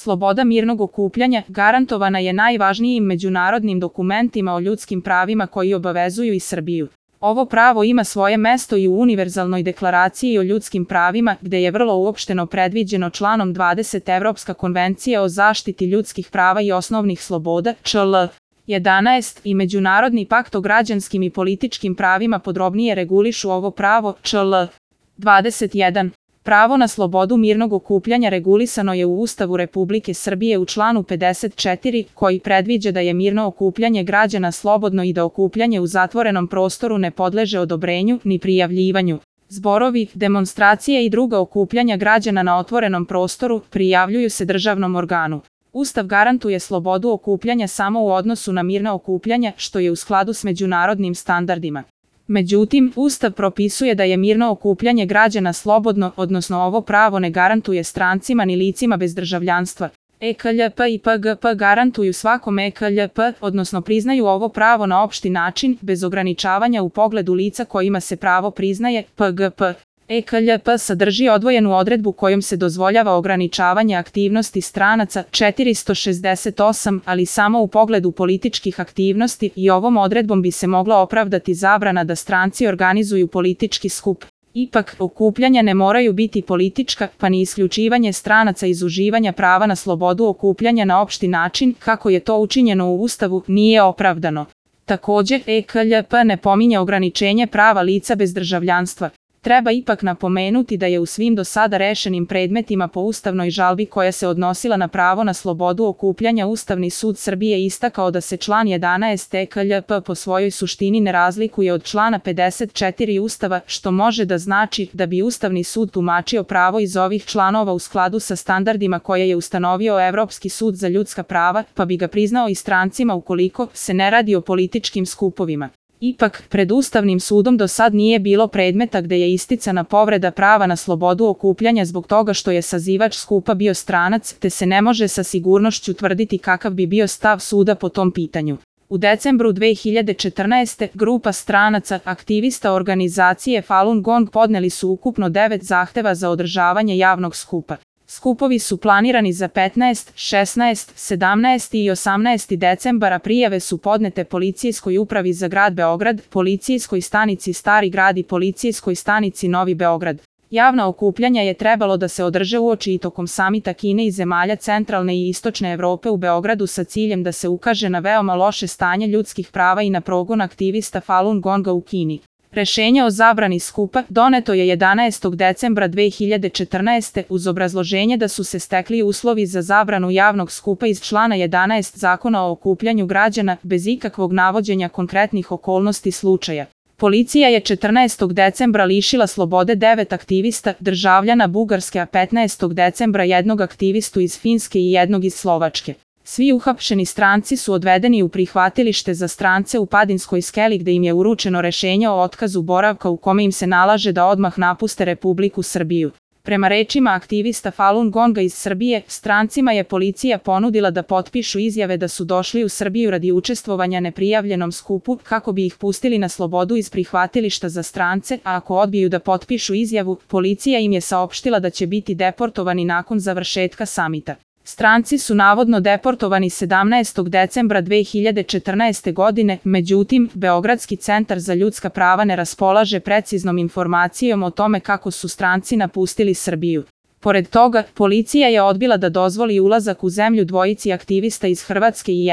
Sloboda mirnog okupljanja garantovana je najvažnijim međunarodnim dokumentima o ljudskim pravima koji obavezuju i Srbiju. Ovo pravo ima svoje mesto i u Univerzalnoj deklaraciji o ljudskim pravima, gde je vrlo uopšteno predviđeno članom 20 Evropska konvencija o zaštiti ljudskih prava i osnovnih sloboda, čl. 11 i Međunarodni pakt o građanskim i političkim pravima podrobnije regulišu ovo pravo, čl. 21. Pravo na slobodu mirnog okupljanja regulisano je u Ustavu Republike Srbije u članu 54, koji predviđa da je mirno okupljanje građana slobodno i da okupljanje u zatvorenom prostoru ne podleže odobrenju ni prijavljivanju. Zborovi, demonstracije i druga okupljanja građana na otvorenom prostoru prijavljuju se državnom organu. Ustav garantuje slobodu okupljanja samo u odnosu na mirna okupljanja, što je u skladu s međunarodnim standardima. Međutim, Ustav propisuje da je mirno okupljanje građana slobodno, odnosno ovo pravo ne garantuje strancima ni licima bez državljanstva. EKLJP i PGP garantuju svakom EKLJP, odnosno priznaju ovo pravo na opšti način, bez ograničavanja u pogledu lica kojima se pravo priznaje, PGP. EKLJP sadrži odvojenu odredbu kojom se dozvoljava ograničavanje aktivnosti stranaca 468, ali samo u pogledu političkih aktivnosti i ovom odredbom bi se mogla opravdati zabrana da stranci organizuju politički skup. Ipak, okupljanja ne moraju biti politička, pa ni isključivanje stranaca iz uživanja prava na slobodu okupljanja na opšti način, kako je to učinjeno u Ustavu, nije opravdano. Takođe, EKLJP ne pominje ograničenje prava lica bez državljanstva. Treba ipak napomenuti da je u svim do sada rešenim predmetima po ustavnoj žalbi koja se odnosila na pravo na slobodu okupljanja Ustavni sud Srbije istakao da se član 11 EKLJP po svojoj suštini ne razlikuje od člana 54 Ustava, što može da znači da bi Ustavni sud tumačio pravo iz ovih članova u skladu sa standardima koje je ustanovio Evropski sud za ljudska prava, pa bi ga priznao i strancima ukoliko se ne radi o političkim skupovima. Ipak, pred Ustavnim sudom do sad nije bilo predmeta gde je isticana povreda prava na slobodu okupljanja zbog toga što je sazivač skupa bio stranac, te se ne može sa sigurnošću tvrditi kakav bi bio stav suda po tom pitanju. U decembru 2014. grupa stranaca, aktivista organizacije Falun Gong podneli su ukupno 9 zahteva za održavanje javnog skupa. Skupovi su planirani za 15, 16, 17 i 18 decembar, a prijave su podnete Policijskoj upravi za grad Beograd, Policijskoj stanici Stari grad i Policijskoj stanici Novi Beograd. Javna okupljanja je trebalo da se održe uoči i tokom samita Kine i zemalja centralne i istočne Evrope u Beogradu sa ciljem da se ukaže na veoma loše stanje ljudskih prava i na progon aktivista Falun Gonga u Kini. Rešenje o zabrani skupa doneto je 11. decembra 2014. uz obrazloženje da su se stekli uslovi za zabranu javnog skupa iz člana 11 Zakona o okupljanju građana bez ikakvog navođenja konkretnih okolnosti slučaja. Policija je 14. decembra lišila slobode 9 aktivista, državljana Bugarske, a 15. decembra jednog aktivistu iz Finske i jednog iz Slovačke. Svi uhapšeni stranci su odvedeni u prihvatilište za strance u Padinskoj skeli gde im je uručeno rešenje o otkazu boravka u kome im se nalaže da odmah napuste Republiku Srbiju. Prema rečima aktivista Falun Gonga iz Srbije, strancima je policija ponudila da potpišu izjave da su došli u Srbiju radi učestvovanja neprijavljenom skupu kako bi ih pustili na slobodu iz prihvatilišta za strance, a ako odbiju da potpišu izjavu, policija im je saopštila da će biti deportovani nakon završetka samita. Stranci su navodno deportovani 17. decembra 2014. godine, međutim, Beogradski centar za ljudska prava ne raspolaže preciznom informacijom o tome kako su stranci napustili Srbiju. Pored toga, policija je odbila da dozvoli ulazak u zemlju dvojici aktivista iz Hrvatske i